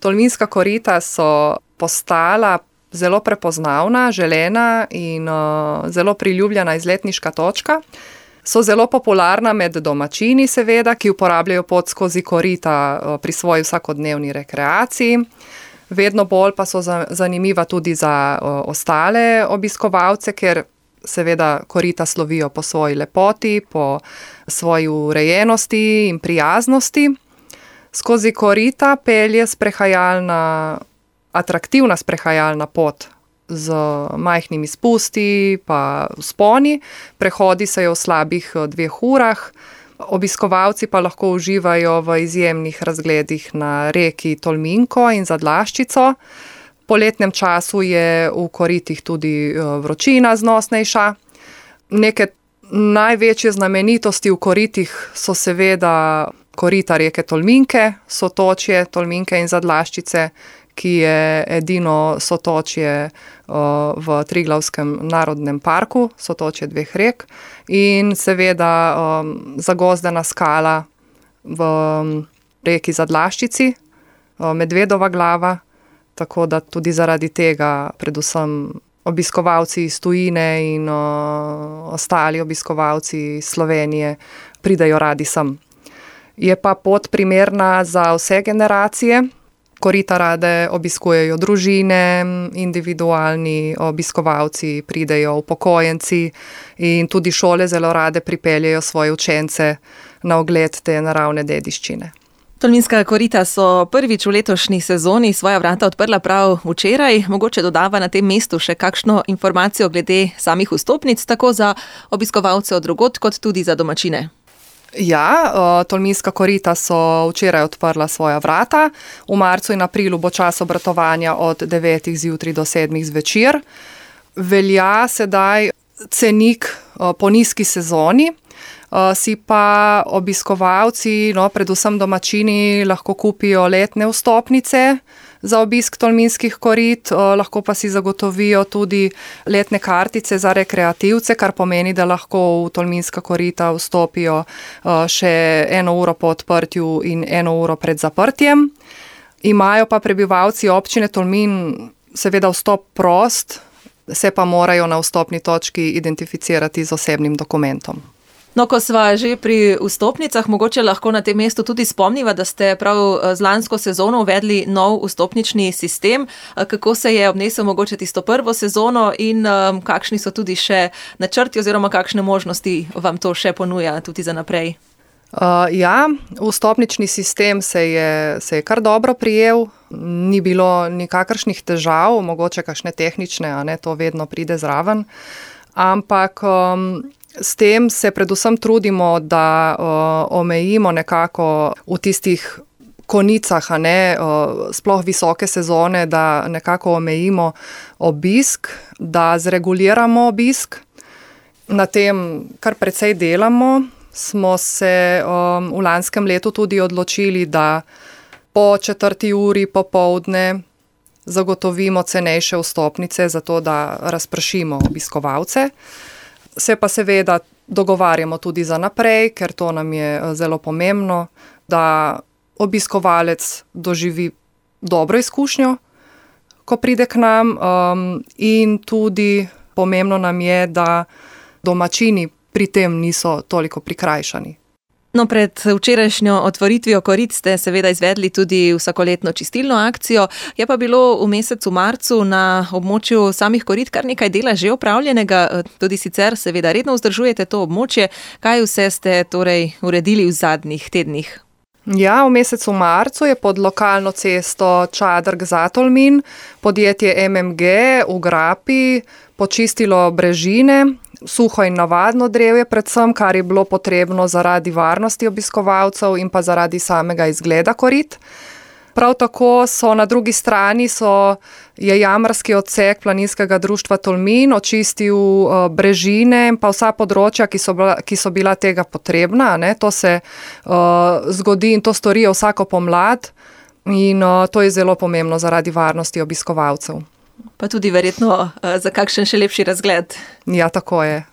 Tolminska korita so postala zelo prepoznavna, želena in zelo priljubljena izletniška točka. So zelo popularna med domačini seveda, ki uporabljajo pot skozi korita pri svoji vsakodnevni rekreaciji. Vedno bolj pa so zanimiva tudi za ostale obiskovalce, ker seveda korita slovijo po svoji lepoti, po svoji urejenosti in prijaznosti. Skozi korita pelje atraktivna sprehajalna pot z majhnimi spusti pa vzponi. Prehodi se jo v slabih 2 urah. Obiskovalci pa lahko uživajo v izjemnih razgledih na reki Tolminko in Zadlaščico. V poletnem času je v koritih tudi vročina znosnejša. Neke največje znamenitosti v koritih so seveda korita reke Tolminke, sotočje Tolminke in Zadlaščice, ki je edino sotočje v Triglavskem narodnem parku, sotočje 2 rek, in seveda zagozdena skala v reki Zadlaščici, Medvedova glava, tako da tudi zaradi tega predvsem obiskovalci iz tujine in ostali obiskovalci iz Slovenije pridejo radi sem. Je pa pot primerna za vse generacije. Korita rade obiskujejo družine, individualni obiskovalci, pridejo upokojenci in tudi šole zelo rade pripeljejo svoje učence na ogled te naravne dediščine. Tolminska korita so prvič v letošnji sezoni svoja vrata odprla prav včeraj. Mogoče dodava na tem mestu še kakšno informacijo glede samih vstopnic, tako za obiskovalce od drugod, kot tudi za domačine. Ja, Tolminska korita so včeraj odprla svoja vrata. V marcu in aprilu bo čas obratovanja od 9 zjutraj do 7 zvečer. Velja sedaj cenik po nizki sezoni, si pa obiskovalci, predvsem domačini, lahko kupijo letne vstopnice za obisk Tolminskih korit, lahko pa si zagotovijo tudi letne kartice za rekreativce, kar pomeni, da lahko v Tolminska korita vstopijo še 1 uro po odprtju in 1 uro pred zaprtjem. Imajo pa prebivalci občine Tolmin seveda vstop prost, se pa morajo na vstopni točki identificirati z osebnim dokumentom. No, ko sva že pri vstopnicah, mogoče lahko na tem mestu tudi spomniva, da ste prav z lansko sezono uvedli nov vstopnični sistem. Kako se je obnesel mogoče tisto prvo sezono in kakšni so tudi še načrti oziroma kakšne možnosti vam to še ponuja tudi za naprej? Ja, vstopnični sistem se je kar dobro prijel, ni bilo nikakršnih težav, mogoče kakšne tehnične, to vedno pride zraven, ampak s tem se predvsem trudimo, da omejimo nekako v tistih konicah, sploh visoke sezone, da nekako omejimo obisk, da zreguliramo obisk. Na tem kar precej delamo. Smo se v lanskem letu tudi odločili, da po 4. uri popoldne zagotovimo cenejše vstopnice, zato da razpršimo obiskovalce. Se pa seveda dogovarjamo tudi za naprej, ker to nam je zelo pomembno, da obiskovalec doživi dobro izkušnjo, ko pride k nam, in tudi pomembno nam je, da domačini pri tem niso toliko prikrajšani. No, pred včerajšnjo otvoritvijo korit ste seveda izvedli tudi vsakoletno čistilno akcijo. Je pa bilo v mesecu marcu na območju samih korit kar nekaj dela že opravljenega, tudi sicer seveda redno vzdržujete to območje. Kaj vse ste torej uredili v zadnjih tednih? Ja, v mesecu marcu je pod lokalno cesto Čadrg-Zatolmin podjetje MMG v Grapi počistilo brežine, suho in navadno drevje predvsem, kar je bilo potrebno zaradi varnosti obiskovalcev in pa zaradi samega izgleda korit. Prav tako so na drugi strani je jamarski odsek Planinskega društva Tolmin očistil brežine in pa vsa področja, ki so bila tega potrebna. To se zgodi in to storijo vsako pomlad in to je zelo pomembno zaradi varnosti obiskovalcev. Pa tudi verjetno za kakšen še lepši razgled. Ja, tako je.